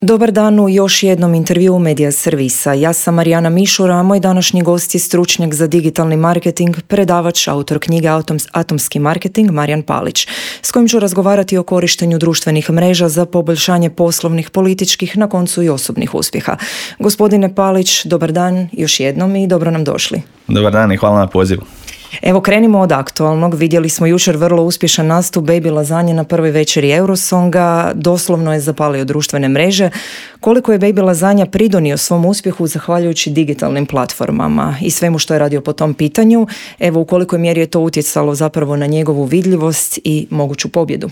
Dobar dan u još jednom intervjuu Medija servisa. Ja sam Marijana Mišura, a moj današnji gost je stručnjak za digitalni marketing, predavač, autor knjige Atomski marketing Marijan Palić, s kojim ću razgovarati o korištenju društvenih mreža za poboljšanje poslovnih, političkih, na koncu i osobnih uspjeha. Gospodine Palić, dobar dan još jednom i dobro nam došli. Dobar dan i hvala na pozivu. Evo, krenimo od aktualnog. Vidjeli smo jučer vrlo uspješan nastup Baby Lazanje na prvoj večeri Eurosonga. Doslovno je zapalio društvene mreže. Koliko je Baby Lazanja pridonio svom uspjehu zahvaljujući digitalnim platformama i svemu što je radio po tom pitanju? Evo, u kolikoj mjeri je to utjecalo zapravo na njegovu vidljivost i moguću pobjedu?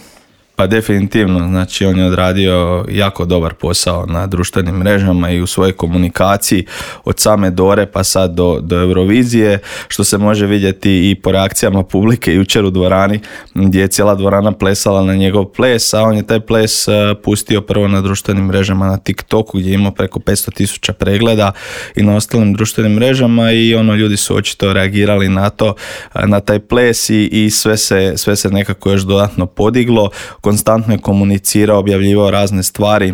Pa definitivno, znači on je odradio jako dobar posao na društvenim mrežama i u svojoj komunikaciji od same Dore pa sad do Eurovizije, što se može vidjeti i po reakcijama publike jučer u dvorani gdje je cijela dvorana plesala na njegov ples, a on je taj ples pustio prvo na društvenim mrežama na TikToku gdje je imao preko 500,000 pregleda i na ostalim društvenim mrežama i ljudi su očito reagirali na to, na taj ples i sve se nekako još dodatno podiglo. Konstantno je komunicirao, objavljivao razne stvari.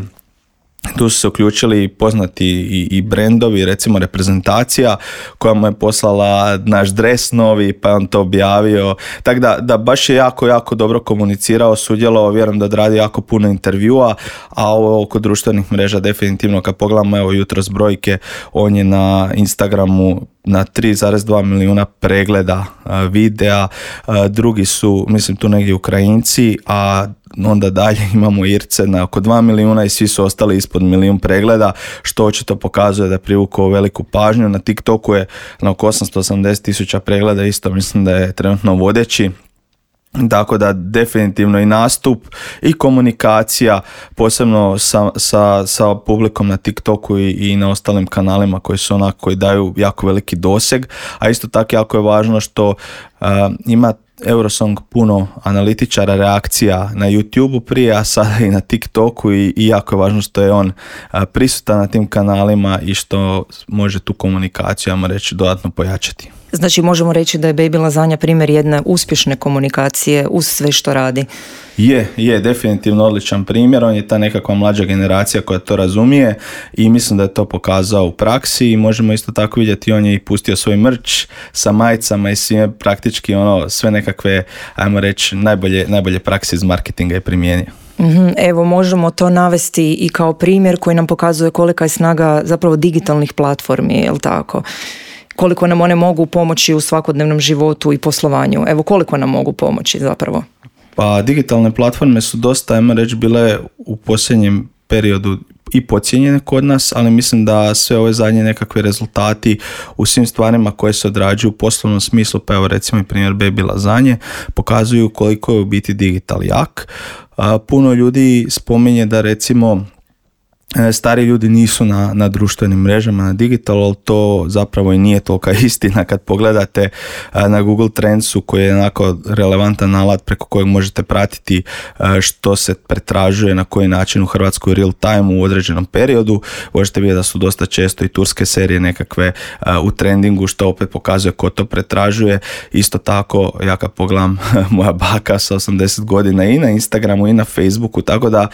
Tu su se uključili poznati i brendovi, recimo reprezentacija koja mu je poslala naš dres novi, pa je on to objavio. Tako da baš je jako dobro komunicirao, sudjelovao, vjerujem da odradi jako puno intervjua, a ovo oko društvenih mreža definitivno, kad pogledamo evo jutros brojke, on je na Instagramu na 3,2 milijuna pregleda videa, drugi su, mislim tu negdje Ukrajinci, a onda dalje imamo Irce na oko 2 milijuna i svi su ostali ispod milijun pregleda, što očito pokazuje da je privukao veliku pažnju. Na TikToku je na oko 880,000 pregleda, isto mislim da je trenutno vodeći. Tako da definitivno i nastup i komunikacija, posebno sa publikom na TikToku i na ostalim kanalima koji daju jako veliki doseg, a isto tako jako je važno što ima Eurosong puno analitičara, reakcija na YouTubeu prije, a sada i na TikToku i jako je važno što je on prisutan na tim kanalima i što može tu komunikaciju, ajmo reći, dodatno pojačati. Znači možemo reći da je Baby Lazanja primjer jedne uspješne komunikacije uz sve što radi. Je definitivno odličan primjer, on je ta nekakva mlađa generacija koja to razumije i mislim da je to pokazao u praksi i možemo isto tako vidjeti, on je i pustio svoj merch sa majicama i sve praktički sve nekakve, ajmo reći, najbolje prakse iz marketinga je primijenio. Evo, možemo to navesti i kao primjer koji nam pokazuje kolika je snaga zapravo digitalnih platformi, je li tako? Koliko nam one mogu pomoći u svakodnevnom životu i poslovanju. Evo, koliko nam mogu pomoći zapravo? Pa digitalne platforme su dosta, ajmo reći, bile u posljednjem periodu i podcijenjene kod nas, ali mislim da sve ove zadnje nekakve rezultati u svim stvarima koje se odrađuju u poslovnom smislu, pa evo recimo i primjer Baby Lazanje, pokazuju koliko je u biti digital jak. Puno ljudi spominje da recimo stari ljudi nisu na društvenim mrežama, na digitalu, ali to zapravo i nije tolika istina kad pogledate na Google Trendsu koji je onako relevantan alat preko kojeg možete pratiti što se pretražuje, na koji način u Hrvatskoj u real time u određenom periodu. Možete vidjeti da su dosta često i turske serije nekakve u trendingu, što opet pokazuje ko to pretražuje. Isto tako, ja kad pogledam moja baka sa 80 godina i na Instagramu i na Facebooku, tako da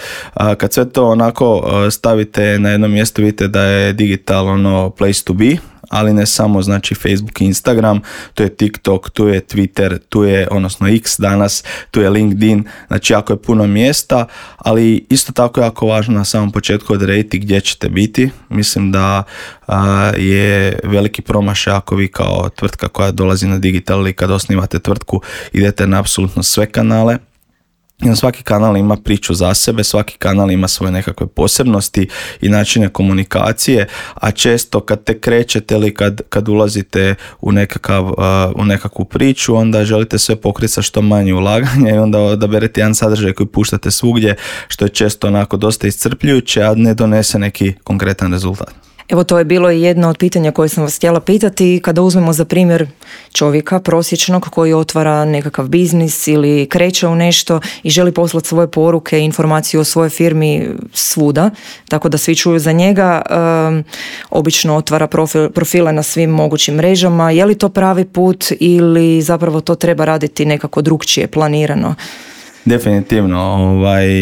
kad sve to onako stavite na jedno mjesto, vidite da je digital place to be, ali ne samo znači Facebook i Instagram, tu je TikTok, tu je Twitter, tu je odnosno X danas, tu je LinkedIn, znači jako je puno mjesta, ali isto tako jako važno na samom početku odrediti gdje ćete biti. Mislim da je veliki promašaj ako vi kao tvrtka koja dolazi na digital ili kad osnivate tvrtku idete na apsolutno sve kanale. Svaki kanal ima priču za sebe, svaki kanal ima svoje nekakve posebnosti i načine komunikacije, a često kad te krećete ili kad ulazite u nekakvu priču, onda želite sve pokriti sa što manje ulaganja i onda odaberete jedan sadržaj koji puštate svugdje, što je često onako dosta iscrpljujuće, a ne donese neki konkretan rezultat. Evo, to je bilo i jedno od pitanja koje sam vas htjela pitati. Kada uzmemo za primjer čovjeka prosječnog koji otvara nekakav biznis ili kreće u nešto i želi poslati svoje poruke i informaciju o svojoj firmi svuda, tako da svi čuju za njega, obično otvara profile na svim mogućim mrežama. Je li to pravi put ili zapravo to treba raditi nekako drukčije, planirano? Definitivno,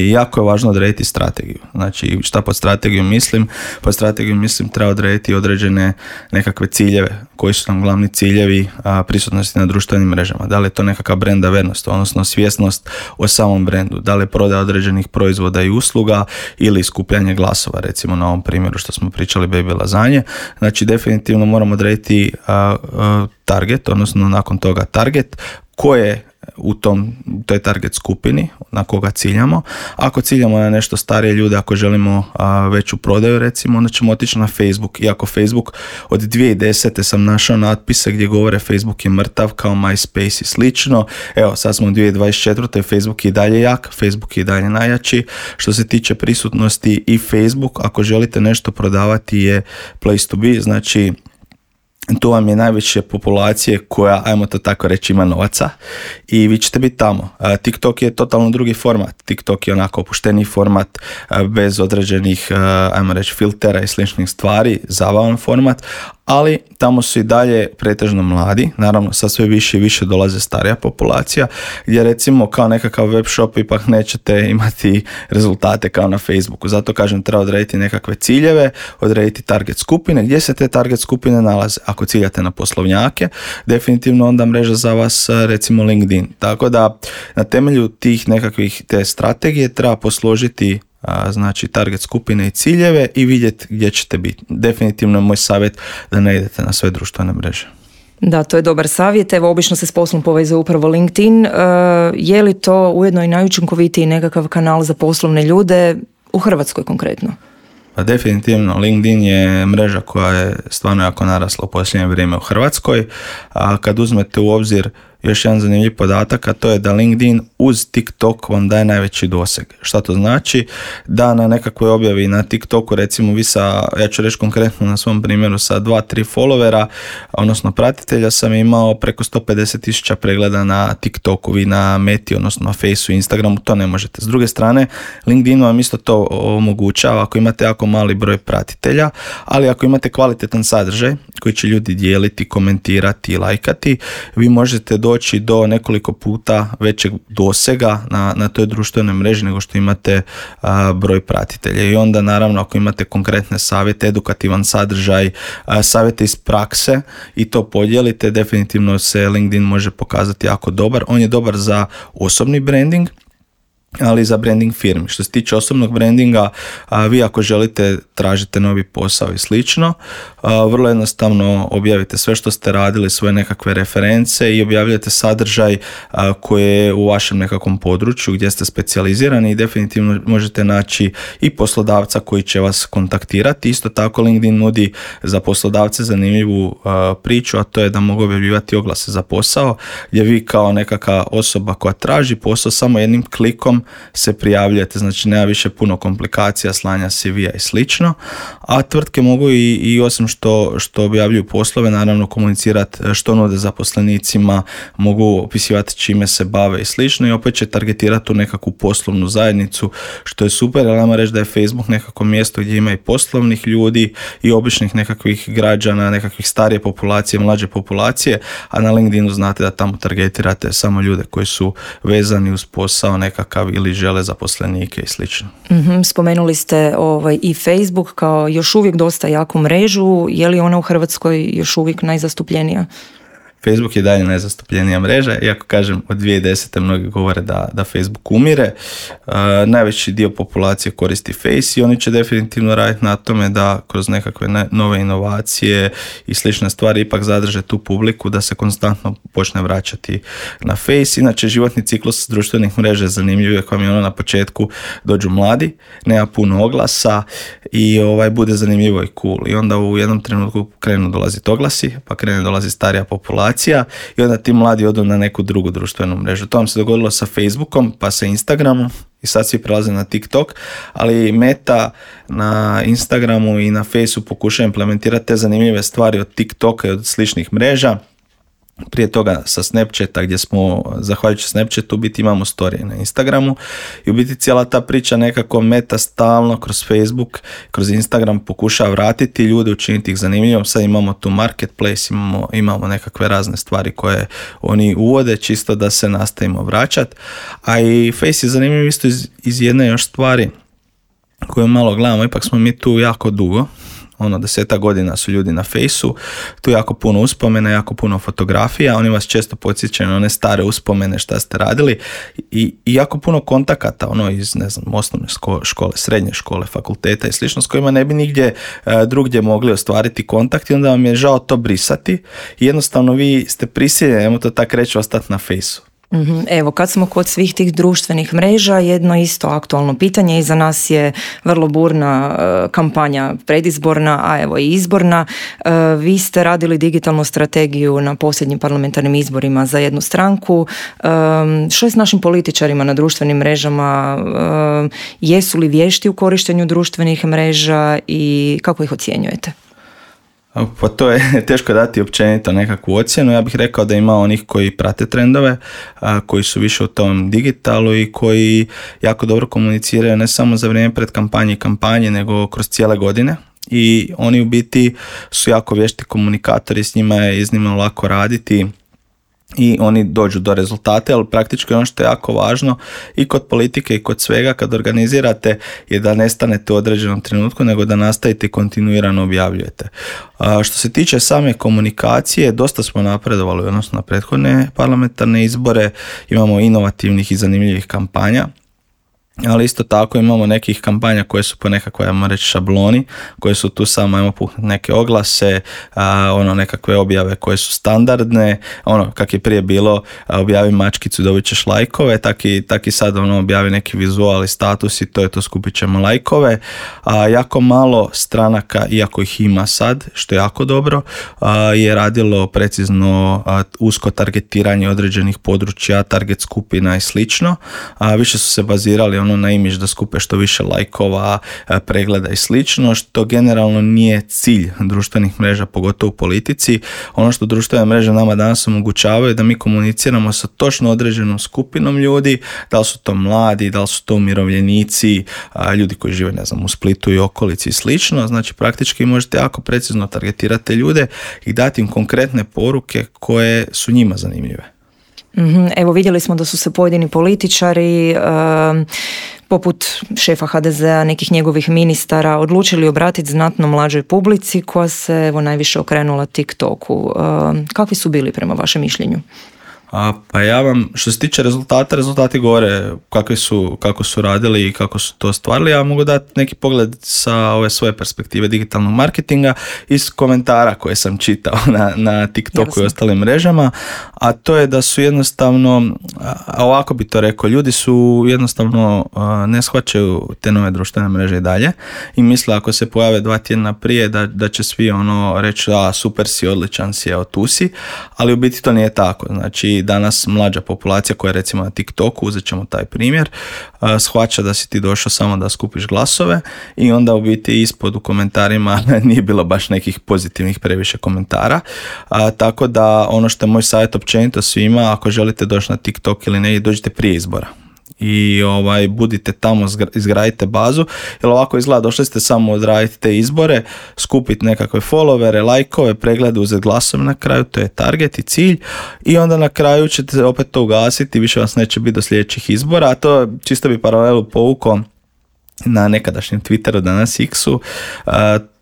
jako je važno odrediti strategiju. Znači, šta pod strategijom mislim? Pod strategijom mislim treba odrediti određene nekakve ciljeve, koji su nam glavni ciljevi prisutnosti na društvenim mrežama. Da li je to nekakav brand awareness, odnosno svjesnost o samom brendu, da li je prodaja određenih proizvoda i usluga ili skupljanje glasova, recimo na ovom primjeru što smo pričali baby lazanje. Znači, definitivno moramo odrediti target, odnosno nakon toga target, koje u toj target skupini na koga ciljamo. Ako ciljamo na nešto starije ljude, ako želimo veću prodaju recimo, onda ćemo otići na Facebook. Iako Facebook od 2010. sam našao natpise gdje govore Facebook je mrtav kao MySpace i slično. Evo, sad smo u 2024. Facebook je i dalje jak, Facebook je i dalje najjači. Što se tiče prisutnosti i Facebook, ako želite nešto prodavati je place to be, znači tu vam je najveće populacije koja, ajmo to tako reći, ima novaca i vi ćete biti tamo. TikTok je totalno drugi format. TikTok je onako opušteniji format bez određenih, ajmo reći, filtera i sličnih stvari, zabavan format, ali tamo su i dalje pretežno mladi, naravno sa sve više i više dolaze starija populacija, gdje recimo kao nekakav web shop ipak nećete imati rezultate kao na Facebooku. Zato kažem, treba odrediti nekakve ciljeve, odrediti target skupine, gdje se te target skupine nalaze. Ako ciljate na poslovnjake, definitivno onda mreža za vas recimo LinkedIn. Tako da na temelju tih nekakvih te strategije treba posložiti znači target skupine i ciljeve i vidjeti gdje ćete biti. Definitivno je moj savjet da ne idete na sve društvene mreže. Da, to je dobar savjet. Evo, obično se s poslom povezuje upravo LinkedIn. Je li to ujedno i najučinkovitiji nekakav kanal za poslovne ljude u Hrvatskoj konkretno? Pa definitivno, LinkedIn je mreža koja je stvarno jako narasla u posljednje vrijeme u Hrvatskoj. A kad uzmete u obzir još jedan zanimljiv podatak, a to je da LinkedIn uz TikTok vam daje najveći doseg. Šta to znači? Da na nekakvoj objavi na TikToku, recimo vi ja ću reći konkretno na svom primjeru, sa 2-3 followera, odnosno pratitelja, sam imao preko 150,000 pregleda na TikToku, vi na Meti, odnosno na Faceu i Instagramu, to ne možete. S druge strane, LinkedIn vam isto to omogućava ako imate jako mali broj pratitelja, ali ako imate kvalitetan sadržaj koji će ljudi dijeliti, komentirati i lajkati, vi možete doći do nekoliko puta većeg dosega na toj društvenoj mreži nego što imate broj pratitelja. I onda naravno ako imate konkretne savjete, edukativan sadržaj, savjete iz prakse i to podijelite, definitivno se LinkedIn može pokazati jako dobar. On je dobar za osobni branding, ali i za branding firmi. Što se tiče osobnog brandinga, vi ako želite tražite novi posao i slično, vrlo jednostavno objavite sve što ste radili, svoje nekakve reference i objavljate sadržaj koji je u vašem nekakvom području gdje ste specijalizirani i definitivno možete naći i poslodavca koji će vas kontaktirati. Isto tako LinkedIn nudi za poslodavce zanimljivu priču, a to je da mogu objavljivati oglase za posao, gdje vi kao nekakva osoba koja traži posao samo jednim klikom se prijavljujete, znači nema više puno komplikacija, slanja CV-a i slično, a tvrtke mogu i osim što objavljuju poslove, naravno komunicirati što nude zaposlenicima, mogu opisivati čime se bave i slično i opet će targetirati tu nekakvu poslovnu zajednicu, što je super, ali nama reći da je Facebook nekako mjesto gdje ima i poslovnih ljudi i običnih nekakvih građana, nekakvih starije populacije, mlađe populacije, a na LinkedInu znate da tamo targetirate samo ljude koji su vezani uz posao nekakav ili žele zaposlenike i slično. Spomenuli ste i Facebook kao još uvijek dosta jaku mrežu. Je li ona u Hrvatskoj još uvijek najzastupljenija? Facebook je dalje najzastupljenija mreža, iako kažem od 2010. mnogi govore da Facebook umire. Najveći dio populacije koristi Face i oni će definitivno raditi na tome da kroz nekakve nove inovacije i slične stvari ipak zadrže tu publiku, da se konstantno počne vraćati na Face. Inače, životni ciklus društvenih mreža je zanimljiv, jer vam je ono na početku dođu mladi, nema puno oglasa i bude zanimljivo i cool. I onda u jednom trenutku krenu dolaziti oglasi, pa krene dolazi starija populacija i onda ti mladi odu na neku drugu društvenu mrežu. To vam se dogodilo sa Facebookom, pa sa Instagramom i sad svi prelaze na TikTok, ali Meta na Instagramu i na Faceu pokuša implementirati te zanimljive stvari od TikToka i od sličnih mreža. prije toga sa Snapchata, gdje smo, zahvaljujući Snapchatu, u biti imamo storije na Instagramu i u biti cijela ta priča nekako meta stalno kroz Facebook, kroz Instagram pokušava vratiti ljude, učiniti ih zanimljivom. Sad imamo tu marketplace, imamo nekakve razne stvari koje oni uvode, čisto da se nastavimo vraćati. A i Face je zanimljiv isto iz jedne još stvari koju malo gledamo, ipak smo mi tu jako dugo, 10 godina su ljudi na Fejsu, tu jako puno uspomena, jako puno fotografija, oni vas često podsjećaju na one stare uspomene šta ste radili i jako puno kontakata, iz, osnovne škole, srednje škole, fakulteta i slično, s kojima ne bi nigdje drugdje mogli ostvariti kontakt i onda vam je žao to brisati i jednostavno vi ste prisiljeni, ajmo to tako reći, ostati na Fejsu. Evo, kad smo kod svih tih društvenih mreža, jedno isto aktualno pitanje, iza nas je vrlo burna kampanja predizborna, a evo i izborna. Vi ste radili digitalnu strategiju na posljednjim parlamentarnim izborima za jednu stranku. Što je s našim političarima na društvenim mrežama? Jesu li vješti u korištenju društvenih mreža i kako ih ocjenjujete? Pa to je teško dati općenito nekakvu ocjenu. Ja bih rekao da ima onih koji prate trendove, koji su više u tom digitalu i koji jako dobro komuniciraju ne samo za vrijeme pred kampanje, nego kroz cijele godine. I oni u biti su jako vješti komunikatori, s njima je iznimno lako raditi i oni dođu do rezultata, ali praktički ono što je jako važno i kod politike i kod svega kad organizirate je da ne stanete u određenom trenutku, nego da nastavite i kontinuirano objavljujete. Što se tiče same komunikacije, dosta smo napredovali odnosno na prethodne parlamentarne izbore, imamo inovativnih i zanimljivih kampanja. Ali isto tako imamo nekih kampanja koje su po nekakvoj, ajmo reći, šabloni, koje su tu samo, ajmo puhnuti neke oglase, nekakve objave koje su standardne, kak je prije bilo, objavi mačkicu, dobit ćeš lajkove, tak i sad objavi neki vizual i status i to je to, skupit ćemo lajkove. Jako malo stranaka, iako ih ima sad, što je jako dobro, je radilo precizno usko targetiranje određenih područja, target skupina i slično. Više su se bazirali na imidž da skupe što više lajkova, pregleda i slično, što generalno nije cilj društvenih mreža, pogotovo u politici. Ono što društvene mreže nama danas omogućavaju da mi komuniciramo sa točno određenom skupinom ljudi, da li su to mladi, da li su to umirovljenici, ljudi koji žive, u Splitu i okolici i slično. Znači praktički možete jako precizno targetirati ljude i dati im konkretne poruke koje su njima zanimljive. Evo, vidjeli smo da su se pojedini političari poput šefa HDZ-a, nekih njegovih ministara, odlučili obratiti znatno mlađoj publici koja se najviše okrenula TikToku. Kakvi su bili prema vašem mišljenju? Pa ja vam, što se tiče rezultati govore kako su radili i kako su to ostvarili. Ja mogu dati neki pogled sa ove svoje perspektive digitalnog marketinga iz komentara koje sam čitao na TikToku i ostalim mrežama, a to je da su jednostavno, ovako bi to rekao, ljudi su jednostavno ne shvaćaju te nove društvene mreže i dalje i misle ako se pojave 2 tjedna prije da će svi reći super si, odličan si, evo tu si, ali u biti to nije tako. Znači danas mlađa populacija koja je recimo na TikToku, uzet ćemo taj primjer, shvaća da si ti došao samo da skupiš glasove i onda u biti ispod u komentarima nije bilo baš nekih pozitivnih previše komentara, tako da ono što je moj savjet općenito svima, ako želite doći na TikTok ili ne, dođite prije izbora i budite tamo, izgradite bazu, jer ovako izgleda, došli ste samo odraditi te izbore, skupiti nekakve followere, lajkove, preglede, uzeti glasove na kraju, to je target i cilj i onda na kraju ćete opet to ugasiti, više vas neće biti do sljedećih izbora, a to čisto bi paralelu povukao na nekadašnjem Twitteru, danas X-u.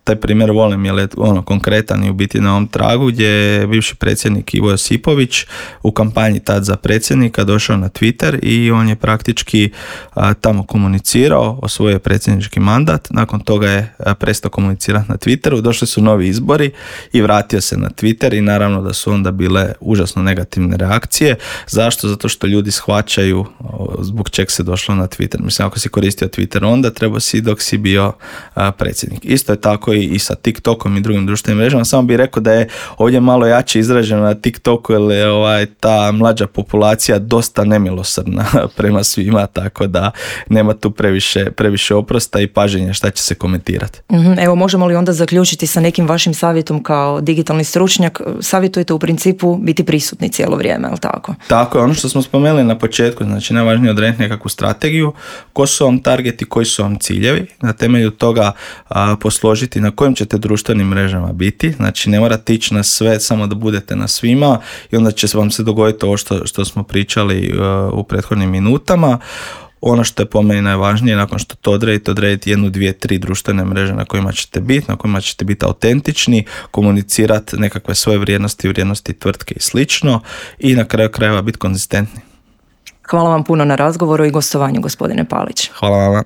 Taj primjer volim jer je konkretan i u biti na ovom tragu, gdje je bivši predsjednik Ivo Josipović u kampanji tad za predsjednika došao na Twitter i on je praktički tamo komunicirao, osvojio predsjednički mandat, nakon toga je prestao komunicirati na Twitteru, došli su novi izbori i vratio se na Twitter i naravno da su onda bile užasno negativne reakcije. Zašto? Zato što ljudi shvaćaju zbog čeg se došlo na Twitter. Mislim, ako si koristio Twitter onda, treba si dok si bio predsjednik. Isto je tako i sa TikTokom i drugim društvenim mrežama. Samo bih rekao da je ovdje malo jače izraženo na TikToku, jer je ta mlađa populacija dosta nemilosrdna prema svima, tako da nema tu previše oprosta i paženja šta će se komentirati. Evo, možemo li onda zaključiti sa nekim vašim savjetom kao digitalni stručnjak? Savjetujete u principu biti prisutni cijelo vrijeme, ali tako? Tako je, ono što smo spomenuli na početku, znači najvažnije je odrediti nekakvu strategiju, ko su vam targeti, koji su vam ciljevi, na temelju toga posložiti na kojim ćete društvenim mrežama biti, znači ne morate ići na sve, samo da budete na svima i onda će vam se dogoditi ovo što smo pričali u prethodnim minutama. Ono što je po meni najvažnije, nakon što to odredite 1, 2, 3 društvene mreže na kojima ćete biti autentični, komunicirati nekakve svoje vrijednosti tvrtke i slično i na kraju krajeva biti konzistentni. Hvala vam puno na razgovoru i gostovanju, gospodine Palić. Hvala vama.